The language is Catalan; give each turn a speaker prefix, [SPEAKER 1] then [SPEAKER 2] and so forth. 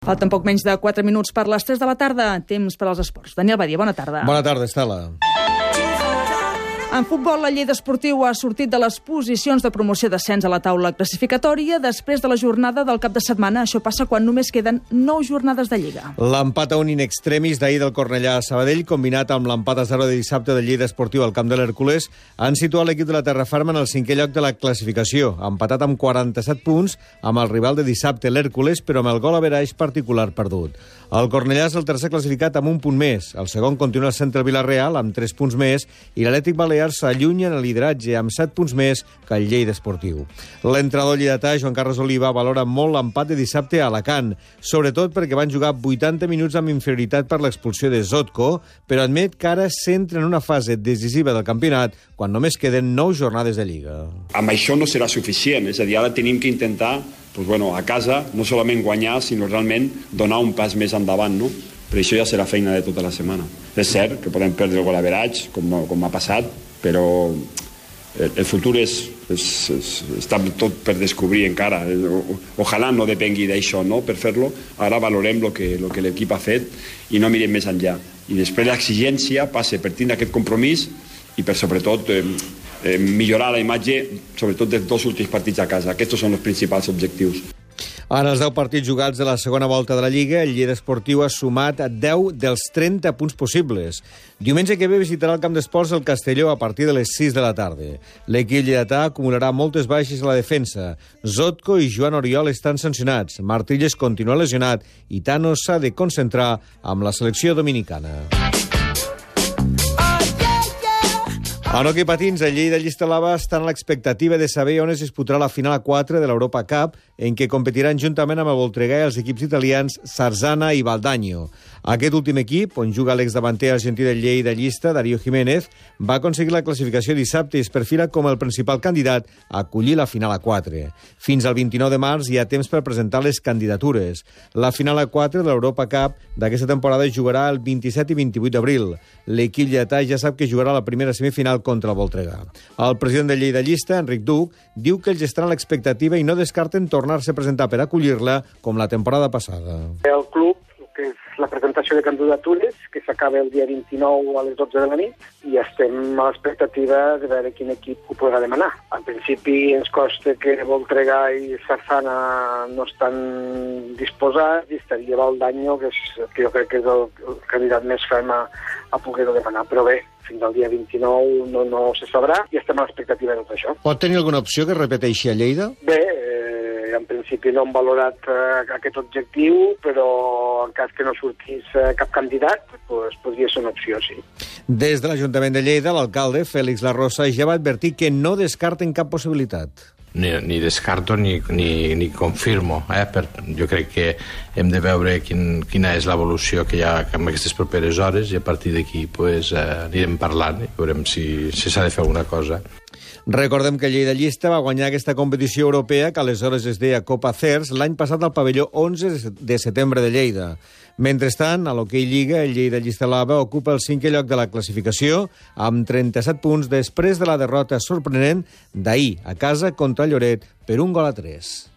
[SPEAKER 1] Falten poc menys de 4 minuts per les 3 de la tarda. Temps per als esports. Daniel Badia, bona tarda.
[SPEAKER 2] Bona tarda, Estela.
[SPEAKER 1] En futbol, la Lleida Esportiu ha sortit de les posicions de promoció d'ascens a la taula classificatòria després de la jornada del cap de setmana. Això passa quan només queden 9 jornades de Lliga.
[SPEAKER 2] L'empat a un in extremis d'ahir del Cornellà a Sabadell, combinat amb l'empat a 0 de dissabte de Lleida Esportiu al camp de l'Hèrcules, han situat l'equip de la Terraferma en el 5è lloc de la classificació, empatat amb 47 punts amb el rival de dissabte, l'Hèrcules, però amb el gol averaix particular perdut. El Cornellà és el tercer classificat amb un punt més. El segon continua sent el Vila-real amb 3 punts més i l'Atlètic Balear s'allunya en el lideratge amb 7 punts més que el Lleida Esportiu. L'entrenador lleidatà, Joan Carles Oliva, valora molt l'empat de dissabte a Alacant, sobretot perquè van jugar 80 minuts amb inferioritat per l'expulsió de Zotko, però admet que ara s'entra en una fase decisiva del campionat quan només queden 9 jornades de Lliga.
[SPEAKER 3] Amb això no serà suficient, és a dir, ara tenim que intentar a casa no solament guanyar, sinó realment donar un pas més endavant, no? Però això ja serà feina de tota la setmana. És cert que podem perdre el gol average, com ha passat, però el futur està tot per descobrir encara. Ojalà no depengui d'això, no? Per fer-lo, ara valorem el que l'equip ha fet i no mirem més enllà. I després l'exigència passa per tindre aquest compromís i per sobretot millorar la imatge, sobretot dels 2 últims partits a casa. Aquests són els principals objectius.
[SPEAKER 2] En els 10 partits jugats de la segona volta de la Lliga, el Lleida Esportiu ha sumat 10 dels 30 punts possibles. Diumenge que ve visitarà el camp d'esports el Castelló a partir de les 6 de la tarda. L'equip lleidatà acumularà moltes baixes a la defensa. Zotko i Joan Oriol estan sancionats. Martínez continua lesionat i Tano s'ha de concentrar amb la selecció dominicana. En hoquei patins, el Lleida Llista-Lava estan a l'expectativa de saber on es disputarà la final a 4 de l'Europa Cup, en què competiran juntament amb el Voltregà i els equips italians Sarzana i Valdagno. Aquest últim equip, on juga l'exdavanter argentí del Lleida Llista, Darío Jiménez, va aconseguir la classificació dissabte i es perfila com el principal candidat a acollir la final a 4. Fins al 29 de març hi ha temps per presentar les candidatures. La final a 4 de l'Europa Cup d'aquesta temporada es jugarà el 27 i 28 d'abril. L'equip lleidatà ja sap que jugarà la primera semifinal contra el Voltregà. El president del Lleida Llista, Enric Duc, diu que ells estan a l'expectativa i no descarten tornar-se a presentar per acollir-la com la temporada passada.
[SPEAKER 4] El club, que és la presentació de candidatures, que s'acaba el dia 29 a les 12 de la nit, i estem a l'expectativa de veure quin equip ho podrà demanar. Al principi ens costa que Voltregà i Sarzana no estan disposats, i estaria Valdagno, que jo crec que és el candidat més ferm a poder-ho demanar. Però bé, fins al dia 29 no se sabrà i estem a l'expectativa de tot això.
[SPEAKER 2] Pot tenir alguna opció que repeteixi a Lleida?
[SPEAKER 4] Bé, en principi no hem valorat aquest objectiu, però en cas que no sortís cap candidat, podria ser una opció, sí.
[SPEAKER 2] Des de l'Ajuntament de Lleida, l'alcalde, Félix Larrosa, ja va advertir que no descarten cap possibilitat.
[SPEAKER 5] Ni descarto ni confirmo. Jo crec que hem de veure quina és l'evolució que hi ha en aquestes properes hores i a partir d'aquí anirem parlant i veurem si s'ha de fer alguna cosa.
[SPEAKER 2] Recordem que el Lleida Llista va guanyar aquesta competició europea, que aleshores es deia Copa CERS, l'any passat al pavelló 11 de setembre de Lleida. Mentrestant, a l'hoquei Lliga, el Lleida Llista-Lava ocupa el 5è lloc de la classificació amb 37 punts després de la derrota sorprenent d'ahir a casa contra Lloret per 1-3.